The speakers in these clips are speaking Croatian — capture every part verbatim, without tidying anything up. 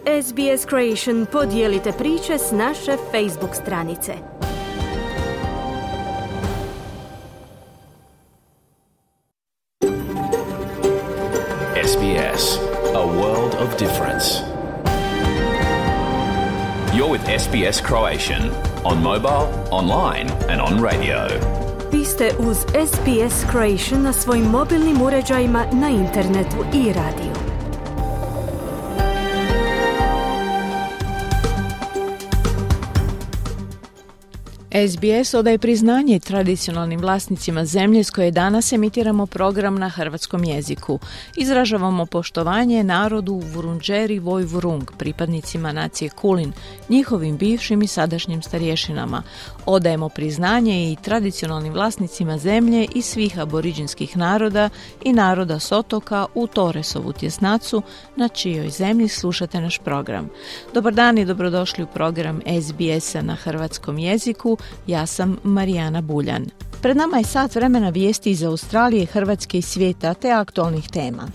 S B S Creation podijelite priče s naše Facebook stranice. S B S, a world of difference. You're with S B S Croatian on mobile, online and on radio. Vi ste uz S B S Croatian na svojim mobilnim uređajima, na internetu i radiju. S B S odaje priznanje tradicionalnim vlasnicima zemlje s koje danas emitiramo program na hrvatskom jeziku. Izražavamo poštovanje narodu Vurundjeri Vojvurung, pripadnicima nacije Kulin, njihovim bivšim i sadašnjim starješinama. Odajemo priznanje i tradicionalnim vlasnicima zemlje i svih aboriđinskih naroda i naroda s otoka u Torresovu tjesnacu, na čijoj zemlji slušate naš program. Dobar dan i dobrodošli u program S B S-a na hrvatskom jeziku. Ja sam Marijana Buljan. Pred nama je sat vremena vijesti iz Australije, Hrvatske i svijeta te aktualnih tema.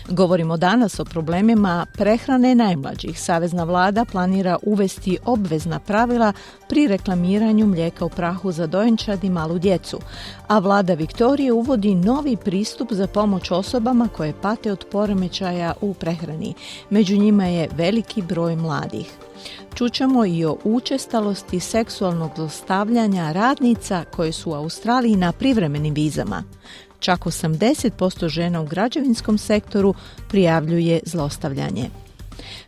Govorimo danas o problemima prehrane najmlađih. Savezna vlada planira uvesti obvezna pravila pri reklamiranju mlijeka u prahu za dojenčad i malu djecu, a vlada Viktorije uvodi novi pristup za pomoć osobama koje pate od poremećaja u prehrani. Među njima je veliki broj mladih. Čućemo i o učestalosti seksualnog zlostavljanja radnica koje su u Australiji na privremenim vizama. Čak osamdeset posto žena u građevinskom sektoru prijavljuje zlostavljanje.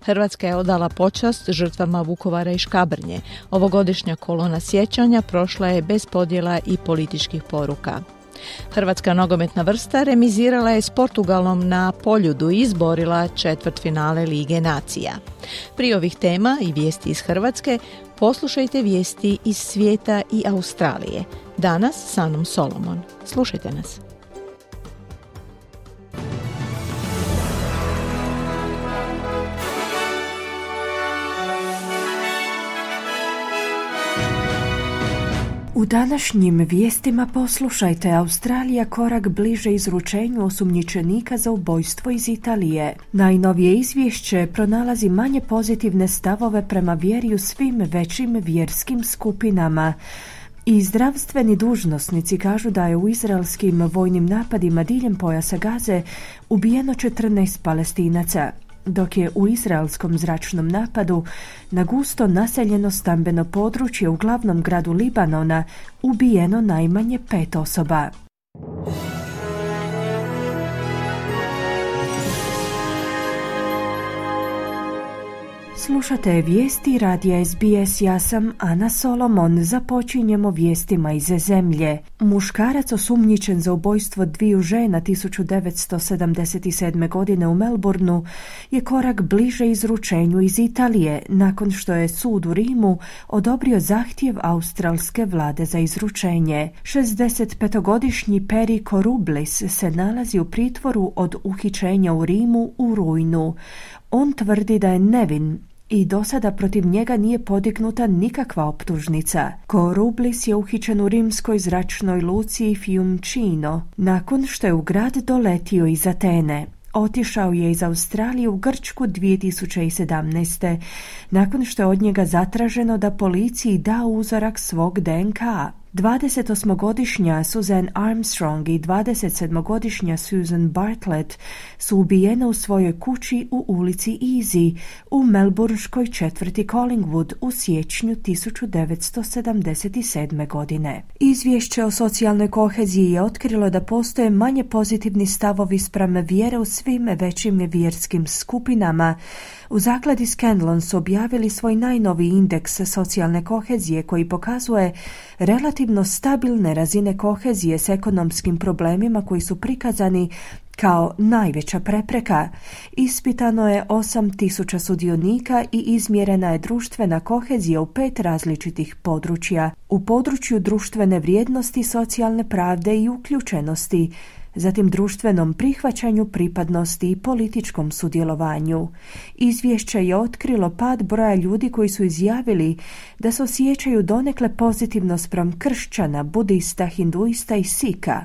Hrvatska je odala počast žrtvama Vukovara i Škabrnje. Ovogodišnja kolona sjećanja prošla je bez podjela i političkih poruka. Hrvatska nogometna vrsta remizirala je s Portugalom na Poljudu i izborila četvrtfinale Lige nacija. Prije ovih tema i vijesti iz Hrvatske, poslušajte vijesti iz svijeta i Australije. Danas s Anom Solomon. Slušajte nas. U današnjim vijestima poslušajte: Australija korak bliže izručenju osumnjičenika za ubojstvo iz Italije. Najnovije izvješće pronalazi manje pozitivne stavove prema vjeri u svim većim vjerskim skupinama. I zdravstveni dužnosnici kažu da je u izraelskim vojnim napadima diljem pojasa Gaze ubijeno četrnaest Palestinaca, dok je u izraelskom zračnom napadu na gusto naseljeno stambeno područje u glavnom gradu Libanona ubijeno najmanje pet osoba. Slušate vijesti radija S B S, ja sam Ana Solomon. Započinjemo vijestima iz zemlje. Muškarac osumnjičen za ubojstvo dviju žena tisuću devetsto sedamdeset sedme. godine u Melbourneu je korak bliže izručenju iz Italije, nakon što je sud u Rimu odobrio zahtjev australske vlade za izručenje. šezdesetpetogodišnji Peri Korublis se nalazi u pritvoru od uhićenja u Rimu u rujnu. On tvrdi da je nevin i do sada protiv njega nije podignuta nikakva optužnica. Korublis je uhićen u rimskoj zračnoj luci Fiumcino nakon što je u grad doletio iz Atene. Otišao je iz Australije u Grčku dvije tisuće sedamnaeste. nakon što je od njega zatraženo da policiji da uzorak svog D N K. dvadesetosmogodišnja Susan Armstrong i dvadesetsedmogodišnja Susan Bartlett su ubijene u svojoj kući u ulici Easy u melbourneškoj četvrti Collingwood u siječnju tisuću devetsto sedamdeset sedme. godine. Izvješće o socijalnoj koheziji je otkrilo da postoje manje pozitivni stavovi spram vjere u svim većim vjerskim skupinama. U zakladi Scanlon su objavili svoj najnoviji indeks socijalne kohezije koji pokazuje relativno stabilne razine kohezije s ekonomskim problemima koji su prikazani kao najveća prepreka. Ispitano je osam tisuća sudionika i izmjerena je društvena kohezija u pet različitih područja. U području društvene vrijednosti, socijalne pravde i uključenosti, zatim društvenom prihvaćanju pripadnosti i političkom sudjelovanju. Izvješće je otkrilo pad broja ljudi koji su izjavili da se osjećaju donekle pozitivno spram kršćana, budista, hinduista i sika.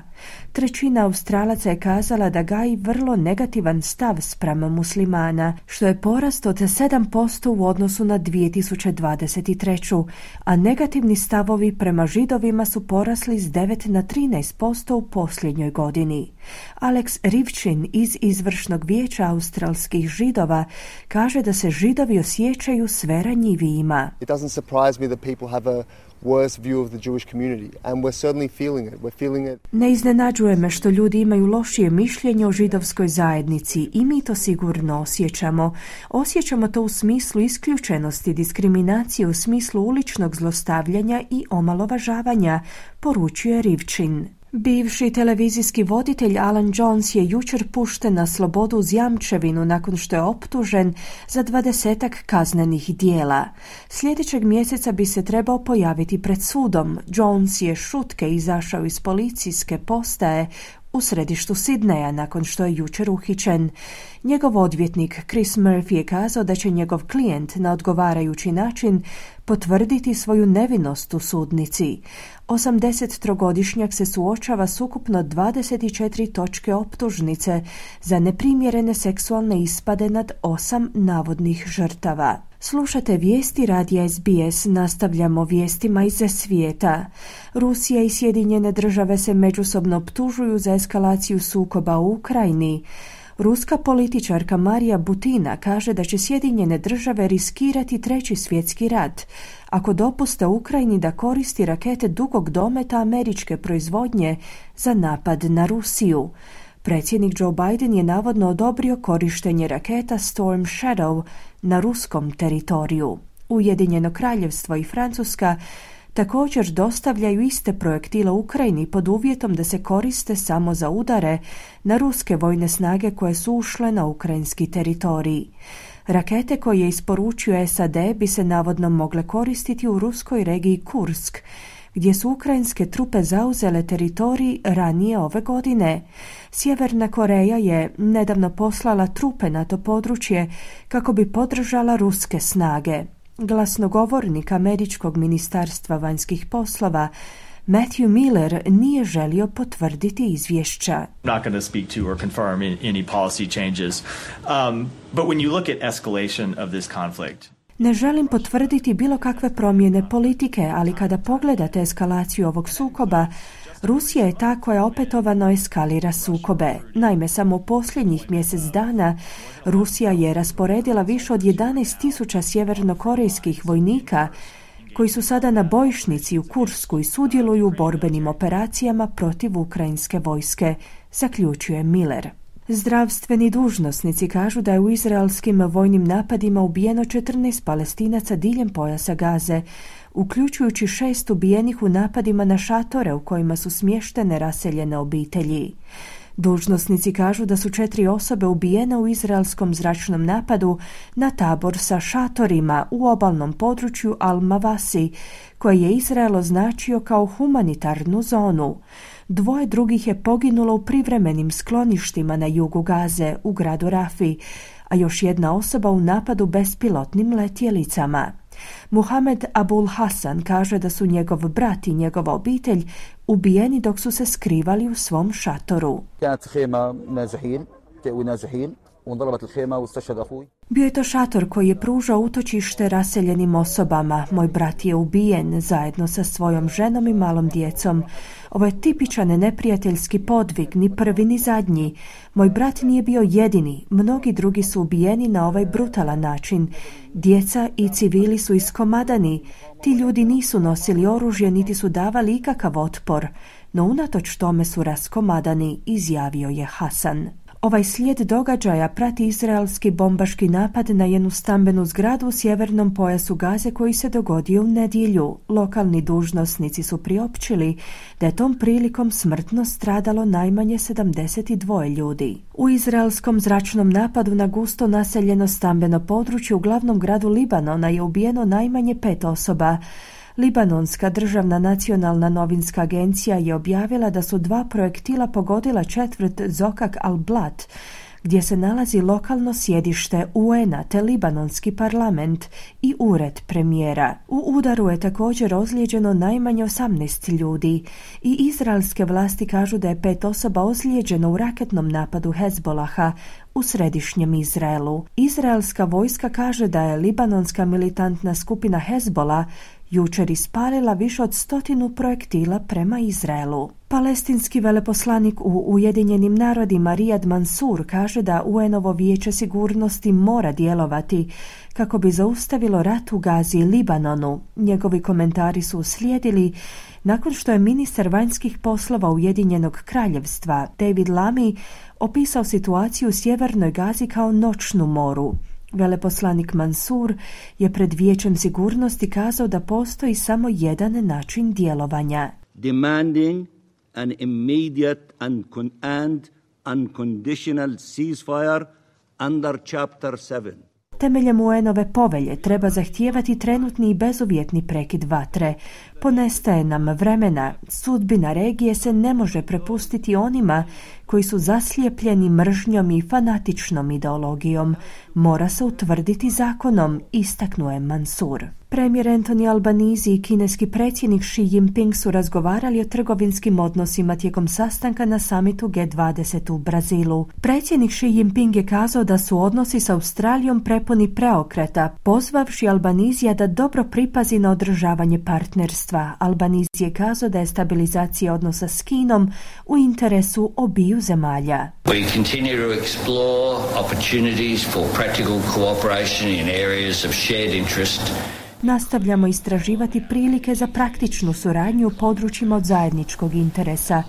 Trećina Australaca je kazala da gaji vrlo negativan stav spram muslimana, što je porast od sedam posto u odnosu na dvije tisuće dvadeset treću, a negativni stavovi prema židovima su porasli s devet na trinaest posto u posljednjoj godini. Alex Rivčin iz izvršnog vijeća australskih židova kaže da se židovi osjećaju sve ranjivijima. It doesn't surprise me that people have a worse view of the Jewish community, and we're certainly feeling it. We're feeling it. Ne iznenađuje me što ljudi imaju lošije mišljenje o židovskoj zajednici i mi to sigurno osjećamo. Osjećamo to u smislu isključenosti, diskriminacije, u smislu uličnog zlostavljanja i omalovažavanja, poručuje Rivčin. Bivši televizijski voditelj Alan Jones je jučer pušten na slobodu uz jamčevinu nakon što je optužen za dvadesetak kaznenih dijela. Sljedećeg mjeseca bi se trebao pojaviti pred sudom. Jones je šutke izašao iz policijske postaje u središtu Sidneja nakon što je jučer uhićen. Njegov odvjetnik Chris Murphy je kazao da će njegov klijent na odgovarajući način potvrditi svoju nevinost u sudnici. osamdesettrogodišnjak se suočava s ukupno dvadeset četiri točke optužnice za neprimjerene seksualne ispade nad osam navodnih žrtava. Slušate vijesti radija S B S, nastavljamo vijestima iz svijeta. Rusija i Sjedinjene države se međusobno optužuju za eskalaciju sukoba u Ukrajini. Ruska političarka Marija Butina kaže da će Sjedinjene države riskirati treći svjetski rat ako dopuste Ukrajini da koristi rakete dugog dometa američke proizvodnje za napad na Rusiju. Predsjednik Joe Biden je navodno odobrio korištenje raketa Storm Shadow na ruskom teritoriju. Ujedinjeno kraljevstvo i Francuska također dostavljaju iste projektile Ukrajini pod uvjetom da se koriste samo za udare na ruske vojne snage koje su ušle na ukrajinski teritorij. Rakete koje je isporučio S A D bi se navodno mogle koristiti u ruskoj regiji Kursk, gdje su ukrajinske trupe zauzele teritorij ranije ove godine. Sjeverna Koreja je nedavno poslala trupe na to područje kako bi podržala ruske snage. Glasnogovornik američkog ministarstva vanjskih poslova Matthew Miller nije želio potvrditi izvješća. Not going to speak to or confirm any policy changes. Um, but when you look at escalation of this conflict, ne želim potvrditi bilo kakve promjene politike, ali kada pogledate eskalaciju ovog sukoba, Rusija je ta koja opetovano eskalira sukobe. Naime, samo u posljednjih mjesec dana Rusija je rasporedila više od jedanaest tisuća sjevernokorejskih vojnika koji su sada na bojišnici u Kursku i sudjeluju u borbenim operacijama protiv ukrajinske vojske, zaključuje Miller. Zdravstveni dužnosnici kažu da je u izraelskim vojnim napadima ubijeno četrnaest Palestinaca diljem pojasa Gaze, uključujući šest ubijenih u napadima na šatore u kojima su smještene raseljene obitelji. Dužnosnici kažu da su četiri osobe ubijene u izraelskom zračnom napadu na tabor sa šatorima u obalnom području Al-Mawasi, koje je Izrael označio kao humanitarnu zonu. Dvoje drugih je poginulo u privremenim skloništima na jugu Gaze u gradu Rafi, a još jedna osoba u napadu bespilotnim letjelicama. Muhamed Abul Hasan kaže da su njegov brat i njegova obitelj ubijeni dok su se skrivali u svom šatoru. Bio je to šator koji je pružao utočište raseljenim osobama. Moj brat je ubijen zajedno sa svojom ženom i malom djecom. Ovo je tipičan neprijateljski podvig, ni prvi ni zadnji. Moj brat nije bio jedini, mnogi drugi su ubijeni na ovaj brutalan način. Djeca i civili su iskomadani. Ti ljudi nisu nosili oružje niti su davali ikakav otpor, no unatoč tome su raskomadani, izjavio je Hasan. Ovaj slijed događaja prati izraelski bombaški napad na jednu stambenu zgradu u sjevernom pojasu Gaze koji se dogodio u nedjelju. Lokalni dužnosnici su priopćili da je tom prilikom smrtno stradalo najmanje sedamdeset dva ljudi. U izraelskom zračnom napadu na gusto naseljeno stambeno područje u glavnom gradu Libanona je ubijeno najmanje pet osoba. Libanonska državna nacionalna novinska agencija je objavila da su dva projektila pogodila četvrt Zokak al-Blat, gdje se nalazi lokalno sjedište U N a te libanonski parlament i ured premijera. U udaru je također ozlijeđeno najmanje osamnaest ljudi i izraelske vlasti kažu da je pet osoba ozlijeđeno u raketnom napadu Hezbolaha u središnjem Izraelu. Izraelska vojska kaže da je libanonska militantna skupina Hezbola jučer ispalila više od stotinu projektila prema Izraelu. Palestinski veleposlanik u Ujedinjenim narodima Riyad Mansour kaže da U N ovo vijeće sigurnosti mora djelovati kako bi zaustavilo rat u Gazi i Libanonu. Njegovi komentari su uslijedili nakon što je ministar vanjskih poslova Ujedinjenog kraljevstva David Lammy opisao situaciju u sjevernoj Gazi kao noćnu moru. Veleposlanik Mansour je pred Vijećem sigurnosti kazao da postoji samo jedan način djelovanja. Demanding an immediate and, con- and unconditional ceasefire under Chapter seven. Temeljem U N ove povelje treba zahtijevati trenutni i bezuvjetni prekid vatre. Ponestaje nam vremena. Sudbina regije se ne može prepustiti onima koji su zaslijepljeni mržnjom i fanatičnom ideologijom. Mora se utvrditi zakonom, istaknuo je Mansour. Premijer Anthony Albanese i kineski predsjednik Xi Jinping su razgovarali o trgovinskim odnosima tijekom sastanka na samitu G dvadeset u Brazilu. Predsjednik Xi Jinping je kazao da su odnosi s Australijom prepuni preokreta, pozvavši Albanesija da dobro pripazi na održavanje partnerstva. Albanese je kazao da je stabilizacija odnosa s Kinom u interesu obiju zemalja. We continue to explore opportunities for practical cooperation in areas of shared interest. Nastavljamo istraživati prilike za praktičnu suradnju u područjima od zajedničkog interesa,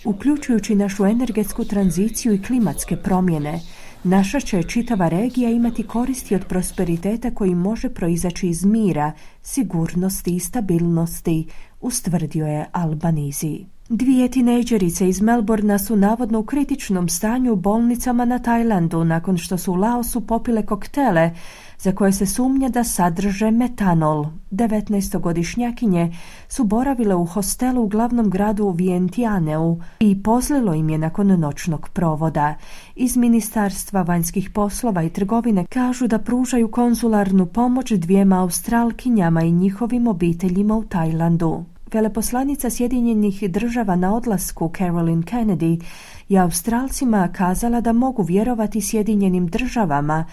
uključujući našu energetsku tranziciju i klimatske promjene. Naša će čitava regija imati koristi od prosperiteta koji može proizaći iz mira, sigurnosti i stabilnosti, ustvrdio je Albanese. Dvije tinejdžerice iz Melbourna su navodno u kritičnom stanju u bolnicama na Tajlandu nakon što su u Laosu popile koktele za koje se sumnja da sadrže metanol. devetnaestogodišnjakinje su boravile u hostelu u glavnom gradu Vientianeu i pozlilo im je nakon noćnog provoda. Iz Ministarstva vanjskih poslova i trgovine kažu da pružaju konzularnu pomoć dvijema Australkinjama i njihovim obiteljima u Tajlandu. Veleposlanica Sjedinjenih država na odlasku Caroline Kennedy je Australcima kazala da mogu vjerovati Sjedinjenim državama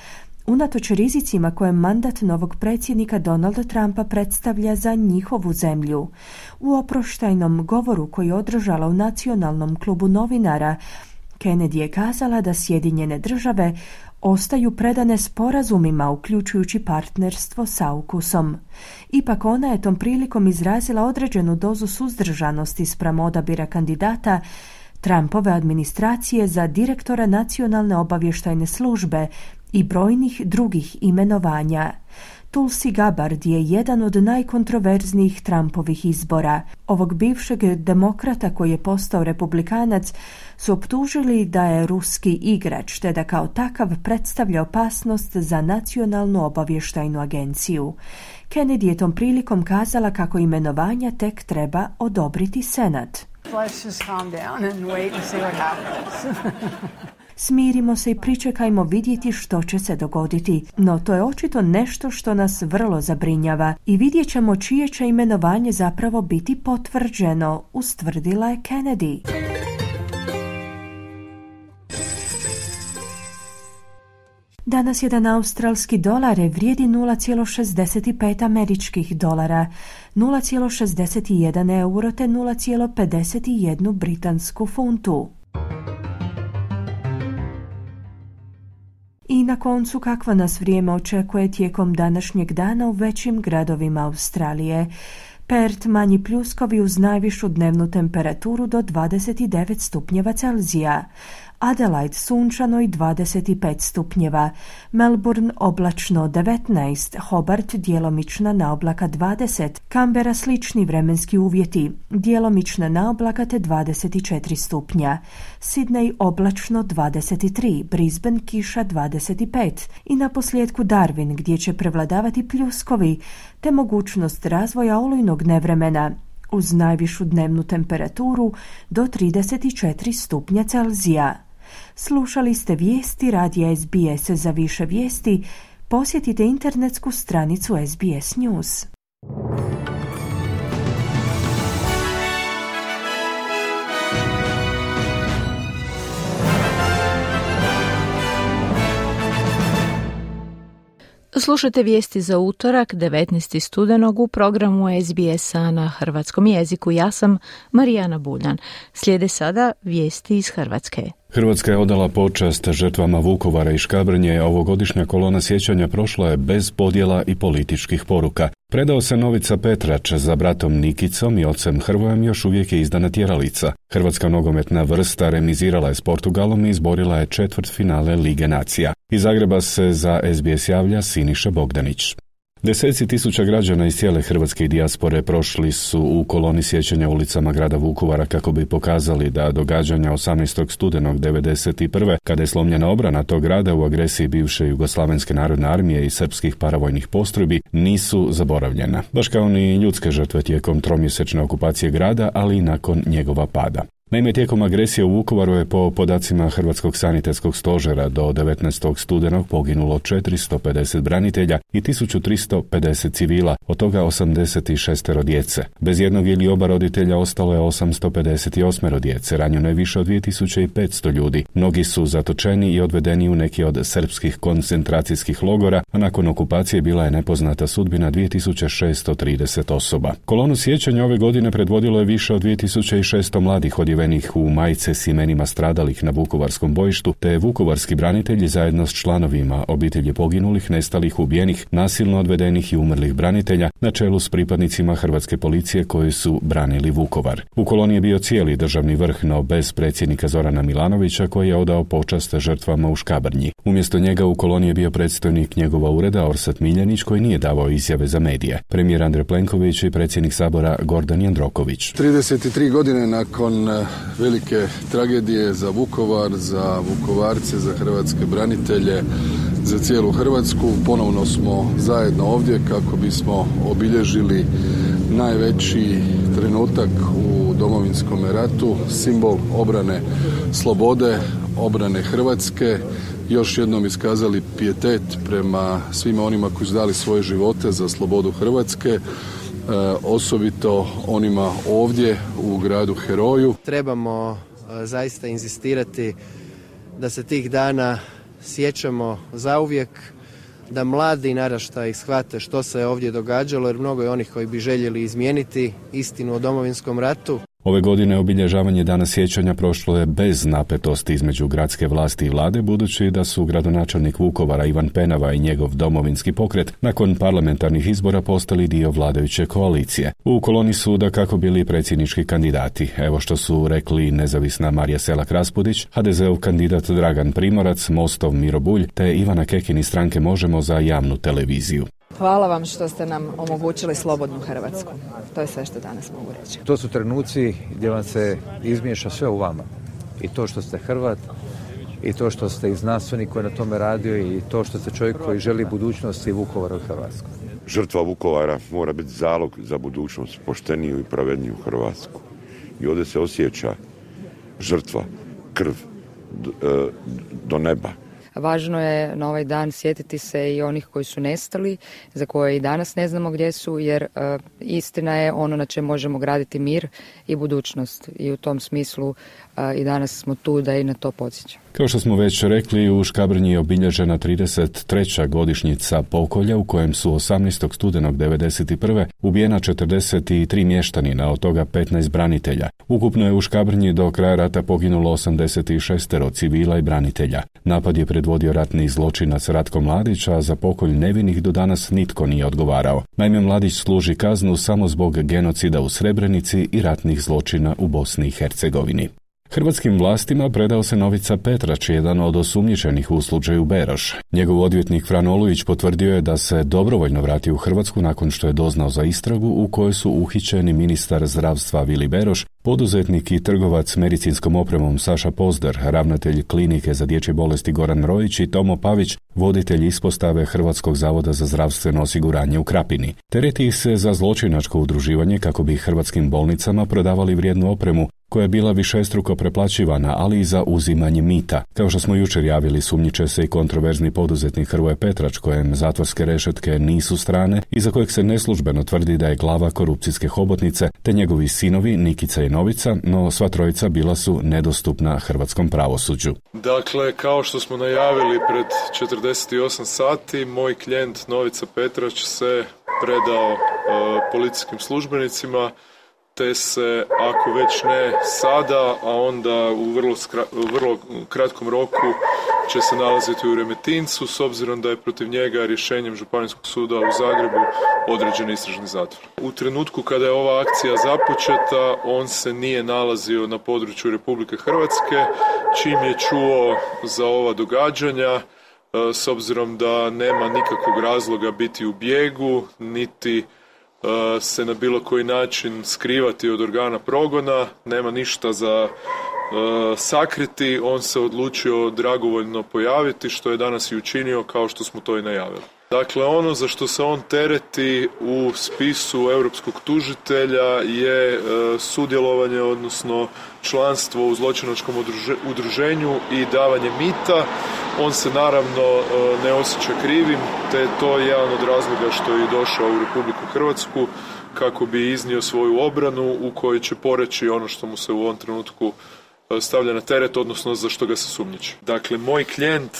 unatoč rizicima koje mandat novog predsjednika Donalda Trumpa predstavlja za njihovu zemlju. U oproštajnom govoru koji je održala u Nacionalnom klubu novinara, Kennedy je kazala da Sjedinjene države ostaju predane sporazumima, uključujući partnerstvo s AUKUS-om. Ipak ona je tom prilikom izrazila određenu dozu suzdržanosti spram odabira kandidata Trumpove administracije za direktora Nacionalne obavještajne službe i brojnih drugih imenovanja. Tulsi Gabbard je jedan od najkontroverznijih Trumpovih izbora. Ovog bivšeg demokrata koji je postao republikanac su optužili da je ruski igrač, te da kao takav predstavlja opasnost za Nacionalnu obavještajnu agenciju. Kennedy je tom prilikom kazala kako imenovanja tek treba odobriti Senat. Let's just calm down and wait and see what happens. Smirimo se i pričekajmo vidjeti što će se dogoditi, no to je očito nešto što nas vrlo zabrinjava i vidjet ćemo čije će imenovanje zapravo biti potvrđeno, ustvrdila je Kennedy. Danas jedan australski dolar vrijedi nula zarez šezdeset pet američkih dolara, nula zarez šezdeset jedan euro te nula zarez pedeset jedan britansku funtu. I na koncu kakvo nas vrijeme očekuje tijekom današnjeg dana u većim gradovima Australije. Perth manji pljuskovi uz najvišu dnevnu temperaturu do dvadeset devet stupnjeva Celzija. Adelaide sunčano i dvadeset pet stupnjeva, Melbourne oblačno devetnaest, Hobart djelomična naoblaka dvadeset, Canberra slični vremenski uvjeti, djelomična naoblaka te dvadeset četiri stupnja, Sydney oblačno dvadeset tri, Brisbane kiša dvadeset pet i na posljedku Darwin gdje će prevladavati pljuskovi te mogućnost razvoja olujnog nevremena uz najvišu dnevnu temperaturu do trideset četiri stupnja Celzija. Slušali ste vijesti radija S B S. Za više vijesti posjetite internetsku stranicu S B S News. Slušajte vijesti za utorak, devetnaestog studenog u programu S B S-a na hrvatskom jeziku. Ja sam Marijana Buljan. Slijede sada vijesti iz Hrvatske. Hrvatska je odala počast žrtvama Vukovara i Škabrnje. Ovogodišnja kolona sjećanja prošla je bez podjela i političkih poruka. Predao se Novica Petrač, za bratom Nikicom i ocem Hrvojem još uvijek je izdana tjeralica. Hrvatska nogometna vrsta remizirala je s Portugalom i izborila je četvrtfinale Lige nacija. Iz Zagreba se za S B S javlja Siniša Bogdanić. Deseci tisuća građana iz cijele hrvatske dijaspore prošli su u koloni sjećanja ulicama grada Vukovara kako bi pokazali da događanja osamnaestog studenog devedeset prve kada je slomljena obrana tog grada u agresiji bivše Jugoslavenske narodne armije i srpskih paravojnih postrojbi nisu zaboravljena, baš kao ni ljudske žrtve tijekom tromjesečne okupacije grada, ali i nakon njegova pada. Naime, tijekom agresije u Vukovaru je po podacima Hrvatskog sanitetskog stožera do devetnaestog studenog poginulo četiristo pedeset branitelja i tisuću tristo pedeset civila, od toga osamdeset šest djece. Bez jednog ili oba roditelja ostalo je osamsto pedeset osam djece, ranjeno je više od dvije tisuće petsto ljudi. Mnogi su zatočeni i odvedeni u neki od srpskih koncentracijskih logora, a nakon okupacije bila je nepoznata sudbina dvije tisuće šesto trideset osoba. Kolonu sjećanja ove godine predvodilo je više od dvije tisuće šesto mladih odjevenih u majice s imenima stradalih na vukovarskom bojištu, te vukovarski branitelji zajedno s članovima obitelji poginulih, nestalih, ubijenih, nasilno odvedenih i umrlih branitelja na čelu s pripadnicima hrvatske policije koji su branili Vukovar. U koloni je bio cijeli državni vrh, no bez predsjednika Zorana Milanovića koji je odao počast žrtvama u Škabrnji. Umjesto njega u koloni je bio predstojnik njegova ureda Orsat Miljanić koji nije davao izjave za medije. Premijer Andrej Plenković i predsjednik Sabora Gordan Jandroković. trideset tri godine nakon velike tragedije za Vukovar, za Vukovarce, za hrvatske branitelje, za cijelu Hrvatsku. Ponovno smo zajedno ovdje kako bismo obilježili najveći trenutak u Domovinskom ratu, simbol obrane slobode, obrane Hrvatske. Još jednom iskazali pijetet prema svima onima koji su dali svoje živote za slobodu Hrvatske. E, osobito onima ovdje u gradu Heroju. Trebamo e, zaista inzistirati da se tih dana sjećamo zauvijek, da mladi naraštaji shvate što se ovdje događalo, jer mnogo je onih koji bi željeli izmijeniti istinu o Domovinskom ratu. Ove godine obilježavanje Dana sjećanja prošlo je bez napetosti između gradske vlasti i vlade, budući da su gradonačelnik Vukovara Ivan Penava i njegov domovinski pokret nakon parlamentarnih izbora postali dio vladajuće koalicije. U koloni su dakako bili predsjednički kandidati. Evo što su rekli nezavisna Marija Selak-Raspudić, ha de zeov kandidat Dragan Primorac, Mostov Miro Bulj te Ivana Kekin iz stranke Možemo za javnu televiziju. Hvala vam što ste nam omogućili slobodnu Hrvatsku. To je sve što danas mogu reći. To su trenuci gdje vam se izmiješa sve u vama. I to što ste Hrvat, i to što ste i znanstvenik koji na tome radio, i to što ste čovjek koji želi budućnosti Vukovara u Hrvatskoj. Žrtva Vukovara mora biti zalog za budućnost, pošteniju i pravedniju Hrvatsku. I ovdje se osjeća žrtva, krv do, do neba. Važno je na ovaj dan sjetiti se i onih koji su nestali, za koje i danas ne znamo gdje su, jer uh, istina je ono na čem možemo graditi mir i budućnost. I u tom smislu uh, i danas smo tu da i na to podsjećamo. Kao što smo već rekli, u Škabrnji je obilježena trideset treća godišnjica pokolja u kojem su osamnaestog studenog devedeset prve ubijena četrdeset tri mještanina, od toga petnaest branitelja. Ukupno je u Škabrnji do kraja rata poginulo osamdeset šest civila i branitelja. Napad je predvodio ratni zločinac Ratko Mladić, a za pokolj nevinih do danas nitko nije odgovarao. Naime, Mladić služi kaznu samo zbog genocida u Srebrenici i ratnih zločina u Bosni i Hercegovini. Hrvatskim vlastima predao se Novica Petrač, jedan od osumnjičenih u slučaju Beroš. Njegov odvjetnik Fran Olujić potvrdio je da se dobrovoljno vratio u Hrvatsku nakon što je doznao za istragu u kojoj su uhićeni ministar zdravstva Vili Beroš, poduzetnik i trgovac medicinskom opremom Saša Pozdar, ravnatelj klinike za dječje bolesti Goran Rojić i Tomo Pavić, voditelj ispostave Hrvatskog zavoda za zdravstveno osiguranje u Krapini. Tereti ih se za zločinačko udruživanje kako bi hrvatskim bolnicama prodavali vrijednu opremu, koja je bila višestruko preplaćivana, ali i za uzimanje mita. Kao što smo jučer javili, sumnjiče se i kontroverzni poduzetnik Hrvoje Petrač, kojem zatvorske rešetke nisu strane i za kojeg se neslužbeno tvrdi da je glava korupcijske hobotnice, te njegovi sinovi Nikica i Novica, no sva trojica bila su nedostupna hrvatskom pravosuđu. Dakle, kao što smo najavili pred četrdeset osam sati, moj klijent Novica Petrač se predao e, policijskim službenicima, te se, ako već ne sada, a onda u vrlo, skra, vrlo kratkom roku će se nalaziti u Remetincu, s obzirom da je protiv njega rješenjem Županijskog suda u Zagrebu određen istražni zatvor. U trenutku kada je ova akcija započeta, on se nije nalazio na području Republike Hrvatske, čim je čuo za ova događanja, s obzirom da nema nikakvog razloga biti u bijegu, niti se na bilo koji način skrivati od organa progona, nema ništa za uh, sakriti, on se odlučio dragovoljno pojaviti, što je danas i učinio, kao što smo to i najavili. Dakle, ono za što se on tereti u spisu europskog tužitelja je uh, sudjelovanje, odnosno članstvo u zločinačkom udruženju i davanje mita. On se naravno uh, ne osjeća krivim, te to je jedan od razloga što je došao u Republiku Hrvatsku kako bi iznio svoju obranu u kojoj će poreći ono što mu se u ovom trenutku stavlja na teret, odnosno za što ga se sumnjiči. Dakle, moj klijent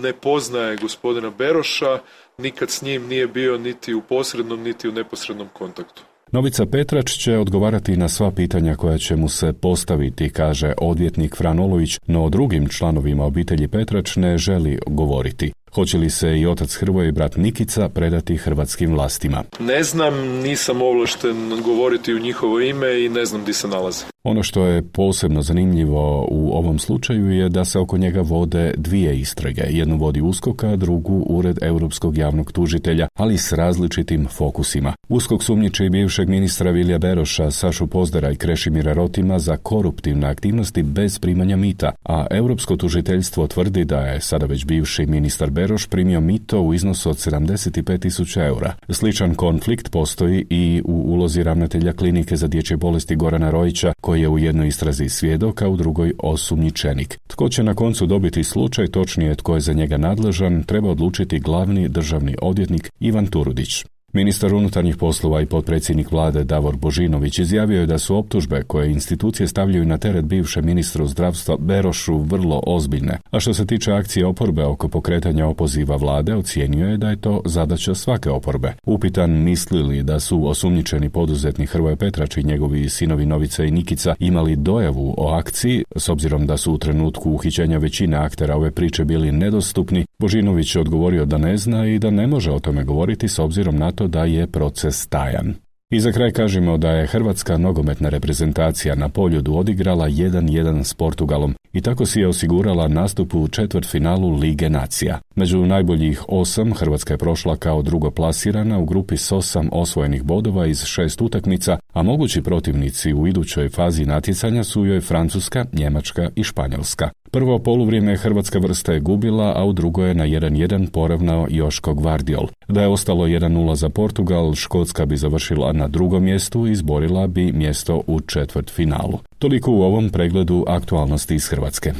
ne poznaje gospodina Beroša, nikad s njim nije bio niti u posrednom, niti u neposrednom kontaktu. Novica Petrač će odgovarati na sva pitanja koja će mu se postaviti, kaže odvjetnik Fran Olović, no o drugim članovima obitelji Petrač ne želi govoriti. Hoće li se i otac Hrvoje i brat Nikica predati hrvatskim vlastima? Ne znam, nisam ovlašten govoriti u njihovo ime i ne znam gdje se nalaze. Ono što je posebno zanimljivo u ovom slučaju je da se oko njega vode dvije istrage. Jednu vodi USKOK, a drugu Ured Europskog javnog tužitelja, ali s različitim fokusima. USKOK sumnjiči bivšeg ministra Vilija Beroša, Sašu Pozdera i Krešimira Rotima za koruptivne aktivnosti bez primanja mita, a Europsko tužiteljstvo tvrdi da je sada već bivši ministar Beroš primio mito u iznosu od sedamdeset pet tisuća eura. Sličan konflikt postoji i u ulozi ravnatelja klinike za dječje bolesti Gorana Rojića, koji je u jednoj istrazi svjedok, a u drugoj osumnjičenik. Tko će na koncu dobiti slučaj, točnije tko je za njega nadležan, treba odlučiti glavni državni odvjetnik Ivan Turudić. Ministar unutarnjih poslova i potpredsjednik vlade Davor Božinović izjavio je da su optužbe koje institucije stavljaju na teret bivšem ministru zdravstva Berošu vrlo ozbiljne, a što se tiče akcije oporbe oko pokretanja opoziva vlade, ocijenio je da je to zadaća svake oporbe. Upitan misli li da su osumnjičeni poduzetnik Hrvoje Petrač i njegovi sinovi Novica i Nikica imali dojavu o akciji, s obzirom da su u trenutku uhićenja većine aktera ove priče bili nedostupni, Božinović je odgovorio da ne zna i da ne može o tome govoriti s obzirom na to da je proces tajan. I za kraj kažemo da je hrvatska nogometna reprezentacija na Poljudu odigrala jedan jedan s Portugalom i tako si je osigurala nastup u četvrtfinalu Lige nacija. Među najboljih osam Hrvatska je prošla kao drugoplasirana u grupi s osam osvojenih bodova iz šest utakmica, a mogući protivnici u idućoj fazi natjecanja su joj Francuska, Njemačka i Španjolska. Prvo poluvrijeme hrvatska vrsta je gubila, a u drugo je na jedan jedan poravnao Joško Gvardiol. Da je ostalo jedan nula za Portugal, Škotska bi završila na drugom mjestu i izborila bi mjesto u četvrtfinalu. Toliko u ovom pregledu aktualnosti iz Hrvatske.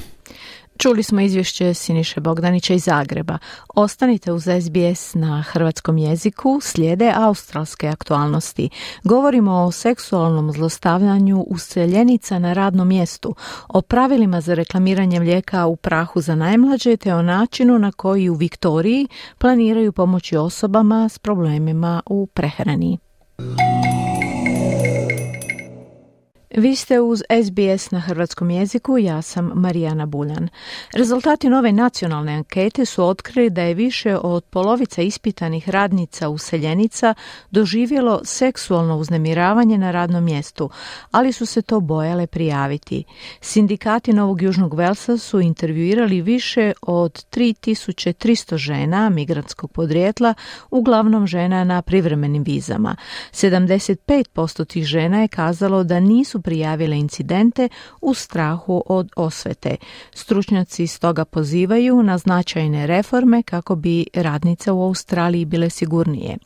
Čuli smo izvješće Siniše Bogdanića iz Zagreba. Ostanite uz S B S na hrvatskom jeziku, slijede australske aktualnosti. Govorimo o seksualnom zlostavljanju useljenica na radnom mjestu, o pravilima za reklamiranje mlijeka u prahu za najmlađe te o načinu na koji u Viktoriji planiraju pomoći osobama s problemima u prehrani. Vi ste uz S B S na hrvatskom jeziku, ja sam Marijana Buljan. Rezultati nove nacionalne ankete su otkrili da je više od polovica ispitanih radnica useljenica doživjelo seksualno uznemiravanje na radnom mjestu, ali su se to bojale prijaviti. Sindikati Novog Južnog Velsa su intervjuirali više od tri tisuće tristo žena migrantskog podrijetla, uglavnom žena na privremenim vizama. sedamdeset pet posto tih žena je kazalo da nisu prijavile incidente u strahu od osvete. Stručnjaci stoga pozivaju na značajne reforme kako bi radnice u Australiji bile sigurnije.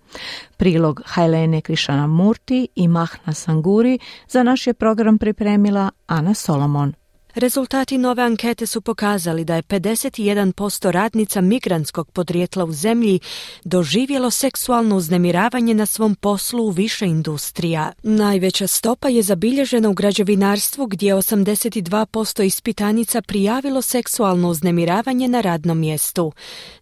Prilog Hailene Krishnamurti i Mahna Sanguri za naš je program pripremila Ana Solomon. Rezultati nove ankete su pokazali da je pedeset jedan posto radnica migrantskog podrijetla u zemlji doživjelo seksualno uznemiravanje na svom poslu u više industrija. Najveća stopa je zabilježena u građevinarstvu gdje je osamdeset dva posto ispitanica prijavilo seksualno uznemiravanje na radnom mjestu.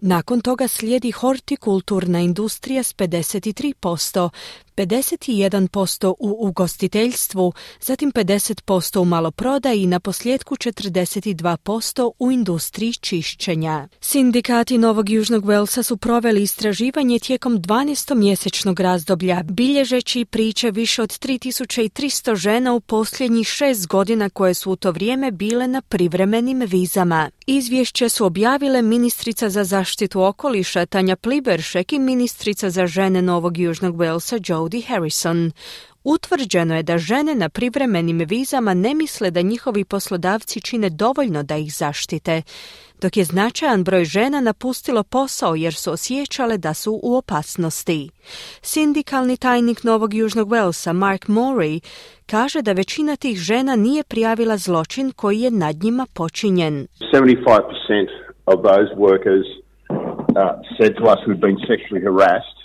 Nakon toga slijedi hortikulturna industrija s pedeset tri posto, pedeset jedan posto u ugostiteljstvu, zatim pedeset posto u maloprodaji i na posljedku četrdeset dva posto u industriji čišćenja. Sindikati Novog Južnog Walesa su proveli istraživanje tijekom dvanaestomjesečnog razdoblja, bilježeći priče više od tri tisuće tristo žena u posljednjih šest godina koje su u to vrijeme bile na privremenim vizama. Izvješće su objavile ministrica za zaštitu okoliša Tanja Pliberšek i ministrica za žene Novog Južnog Walesa Jodie Harrison. Utvrđeno je da žene na privremenim vizama ne misle da njihovi poslodavci čine dovoljno da ih zaštite, dok je značajan broj žena napustilo posao jer su osjećale da su u opasnosti. Sindikalni tajnik Novog Južnog Walesa Mark Morey kaže da većina tih žena nije prijavila zločin koji je nad njima počinjen. seventy-five percent of those workers uh, said to us who'd been sexually harassed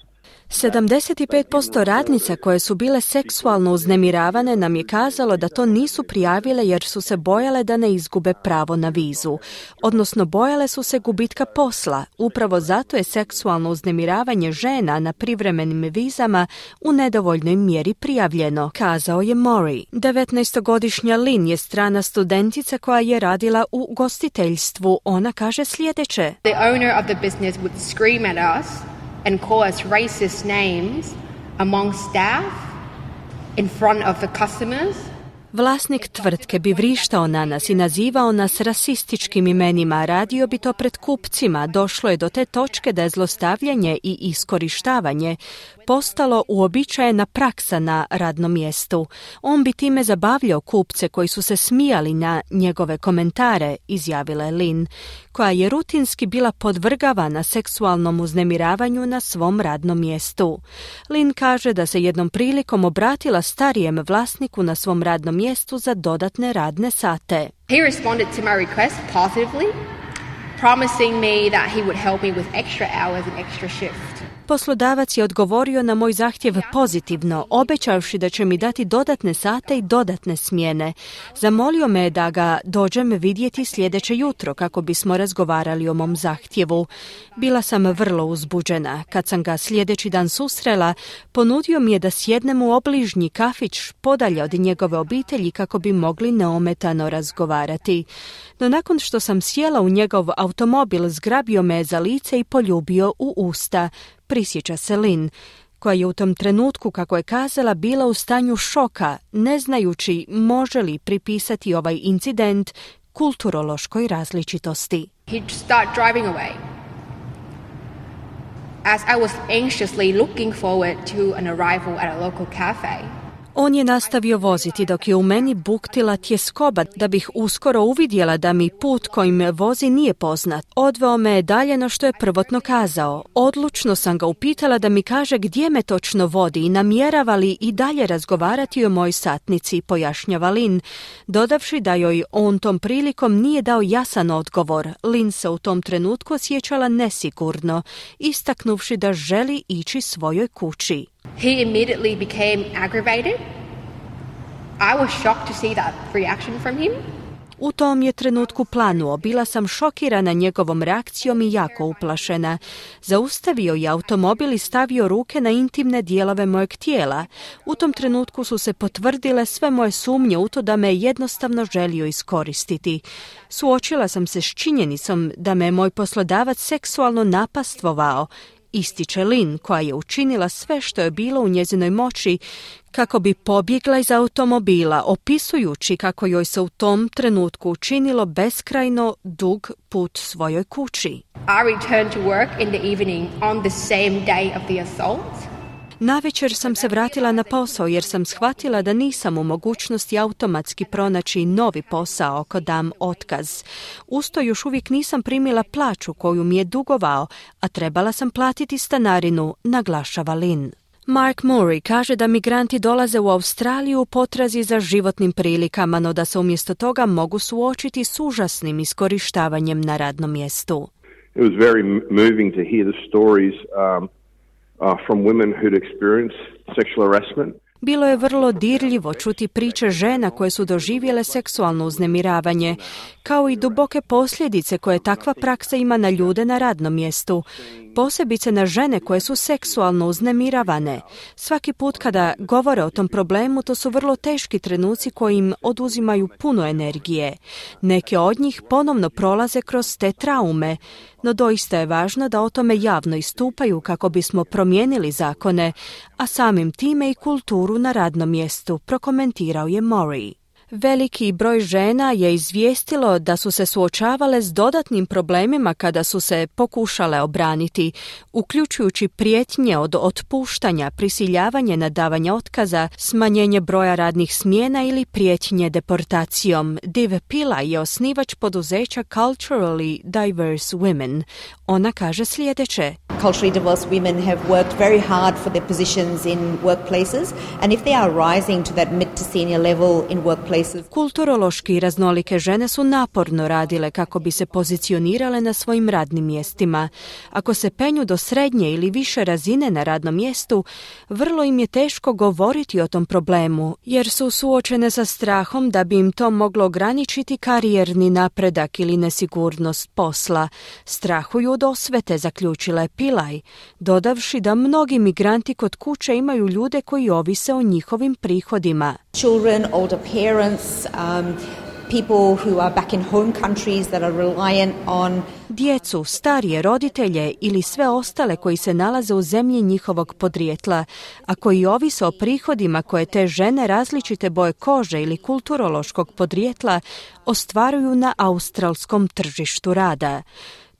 sedamdeset pet posto radnica koje su bile seksualno uznemiravane nam je kazalo da to nisu prijavile jer su se bojale da ne izgube pravo na vizu, odnosno bojale su se gubitka posla. Upravo zato je seksualno uznemiravanje žena na privremenim vizama u nedovoljnoj mjeri prijavljeno, kazao je Morey. devetnaestogodišnja Lynn je strana studentica koja je radila u gostiteljstvu. Ona kaže sljedeće. The owner of the business would scream at us and call us racist names among staff in front of the customers. Vlasnik tvrtke bi vrištao na nas i nazivao nas rasističkim imenima, radio bi to pred kupcima. Došlo je do te točke da je zlostavljanje i iskorištavanje postalo uobičajena praksa na radnom mjestu. On bi time zabavljao kupce koji su se smijali na njegove komentare, izjavila je Lynn, koja je rutinski bila podvrgavana seksualnom uznemiravanju na svom radnom mjestu. Lynn kaže da se jednom prilikom obratila starijem vlasniku na svom radnom mjestu za dodatne radne sate. He responded to my request positively, promising me that he would help me with extra hours and extra shifts. Poslodavac je odgovorio na moj zahtjev pozitivno, obećavši da će mi dati dodatne sate i dodatne smjene. Zamolio me je da ga dođem vidjeti sljedeće jutro kako bismo razgovarali o mom zahtjevu. Bila sam vrlo uzbuđena. Kad sam ga sljedeći dan susrela, ponudio mi je da sjednem u obližnji kafić podalje od njegove obitelji kako bi mogli neometano razgovarati. No nakon što sam sjela u njegov automobil, zgrabio me za lice i poljubio u usta, prisjeća se Lynn, koja je u tom trenutku, kako je kazala, bila u stanju šoka, ne znajući može li pripisati ovaj incident kulturološkoj različitosti. He'd start driving away. As I was anxiously looking forward to an arrival at a local cafe. On je nastavio voziti dok je u meni buktila tjeskoba da bih uskoro uvidjela da mi put kojim vozi nije poznat. Odveo me je dalje no što je prvotno kazao. Odlučno sam ga upitala da mi kaže gdje me točno vodi i namjerava li i dalje razgovarati o mojoj satnici, pojašnjava Lynn, dodavši da joj on tom prilikom nije dao jasan odgovor. Lynn se u tom trenutku osjećala nesigurno, istaknuvši da želi ići svojoj kući. He immediately became aggravated. I was shocked to see that reaction from him. U tom je trenutku planuo. Bila sam šokirana njegovom reakcijom i jako uplašena. Zaustavio je automobil i stavio ruke na intimne dijelove mojeg tijela. U tom trenutku su se potvrdile sve moje sumnje u to da me je jednostavno želio iskoristiti. Suočila sam se s činjenicom da me je moj poslodavac seksualno napastvovao, ističe Lynn, koja je učinila sve što je bilo u njezinoj moći kako bi pobjegla iz automobila, opisujući kako joj se u tom trenutku učinilo beskrajno dug put svojoj kući. I returned to work in the evening on the same day of the assault. Navečer sam se vratila na posao jer sam shvatila da nisam u mogućnosti automatski pronaći novi posao ako dam otkaz. Usto još uvijek nisam primila plaću koju mi je dugovao, a trebala sam platiti stanarinu, naglašava Lynn. Mark Murray kaže da migranti dolaze u Australiju u potrazi za životnim prilikama, no da se umjesto toga mogu suočiti s užasnim iskorištavanjem na radnom mjestu. It was very moving to hear the stories um, uh, from women who'd experienced sexual harassment. Bilo je vrlo dirljivo čuti priče žena koje su doživjele seksualno uznemiravanje, kao i duboke posljedice koje takva praksa ima na ljude na radnom mjestu, posebice na žene koje su seksualno uznemiravane. Svaki put kada govore o tom problemu, to su vrlo teški trenuci koji im oduzimaju puno energije. Neke od njih ponovno prolaze kroz te traume, no doista je važno da o tome javno istupaju kako bismo promijenili zakone, a samim time i kulturu na radnom mjestu, prokomentirao je Murray. Veliki broj žena je izvijestilo da su se suočavale s dodatnim problemima kada su se pokušale obraniti, uključujući prijetnje od otpuštanja, prisiljavanje na davanje otkaza, smanjenje broja radnih smjena ili prijetnje deportacijom. Div Pillay je osnivač poduzeća Culturally Diverse Women. Ona kaže sljedeće. Culturally diverse women have worked very hard for their positions in workplaces, and if they are rising to that mid to senior level in workplaces. Kulturološki raznolike žene su naporno radile kako bi se pozicionirale na svojim radnim mjestima. Ako se penju do srednje ili više razine na radnom mjestu, vrlo im je teško govoriti o tom problemu, jer su suočene sa strahom da bi im to moglo ograničiti karijerni napredak ili nesigurnost posla. Strahuju od osvete, zaključila je Pillay, dodavši da mnogi migranti kod kuće imaju ljude koji ovise o njihovim prihodima. Children, older parents, um, people who are back in home countries that are reliant on djecu, starije roditelje ili sve ostale koji se nalaze u zemlji njihovog podrijetla, a koji ovise o prihodima koje te žene različite boje kože ili kulturološkog podrijetla ostvaruju na australskom tržištu rada.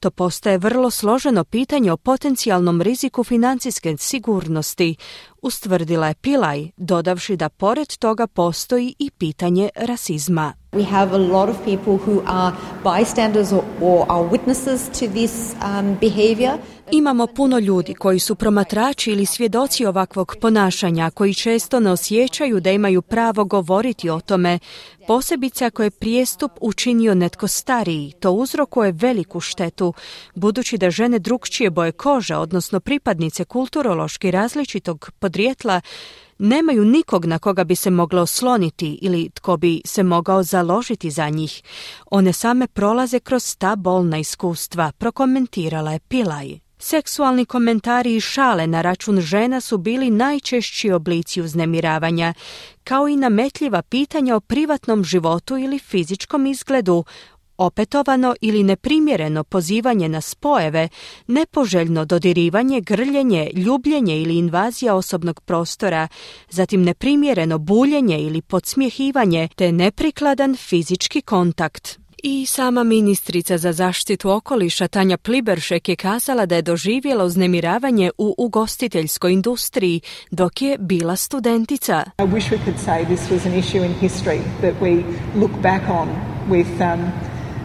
To postaje vrlo složeno pitanje o potencijalnom riziku financijske sigurnosti, ustvrdila je Pillay, dodavši da pored toga postoji i pitanje rasizma. We have a lot of people who are bystanders or, or are witnesses to this um, behavior. Imamo puno ljudi koji su promatrači ili svjedoci ovakvog ponašanja, koji često ne osjećaju da imaju pravo govoriti o tome, posebice ako je prijestup učinio netko stariji. To uzrokuje veliku štetu, budući da žene drukčije boje kože, odnosno pripadnice kulturološki različitog podrijetla, nemaju nikog na koga bi se moglo osloniti ili tko bi se mogao založiti za njih. One same prolaze kroz ta bolna iskustva, prokomentirala je Pillay. Seksualni komentari i šale na račun žena su bili najčešći oblici uznemiravanja, kao i nametljiva pitanja o privatnom životu ili fizičkom izgledu, opetovano ili neprimjereno pozivanje na spojeve, nepoželjno dodirivanje, grljenje, ljubljenje ili invazija osobnog prostora, zatim neprimjereno buljenje ili podsmjehivanje te neprikladan fizički kontakt. I sama ministrica za zaštitu okoliša Tanja Pliberšek je kazala da je doživjela uznemiravanje u ugostiteljskoj industriji dok je bila studentica. I wish we could say this was an issue in history that we look back on with um,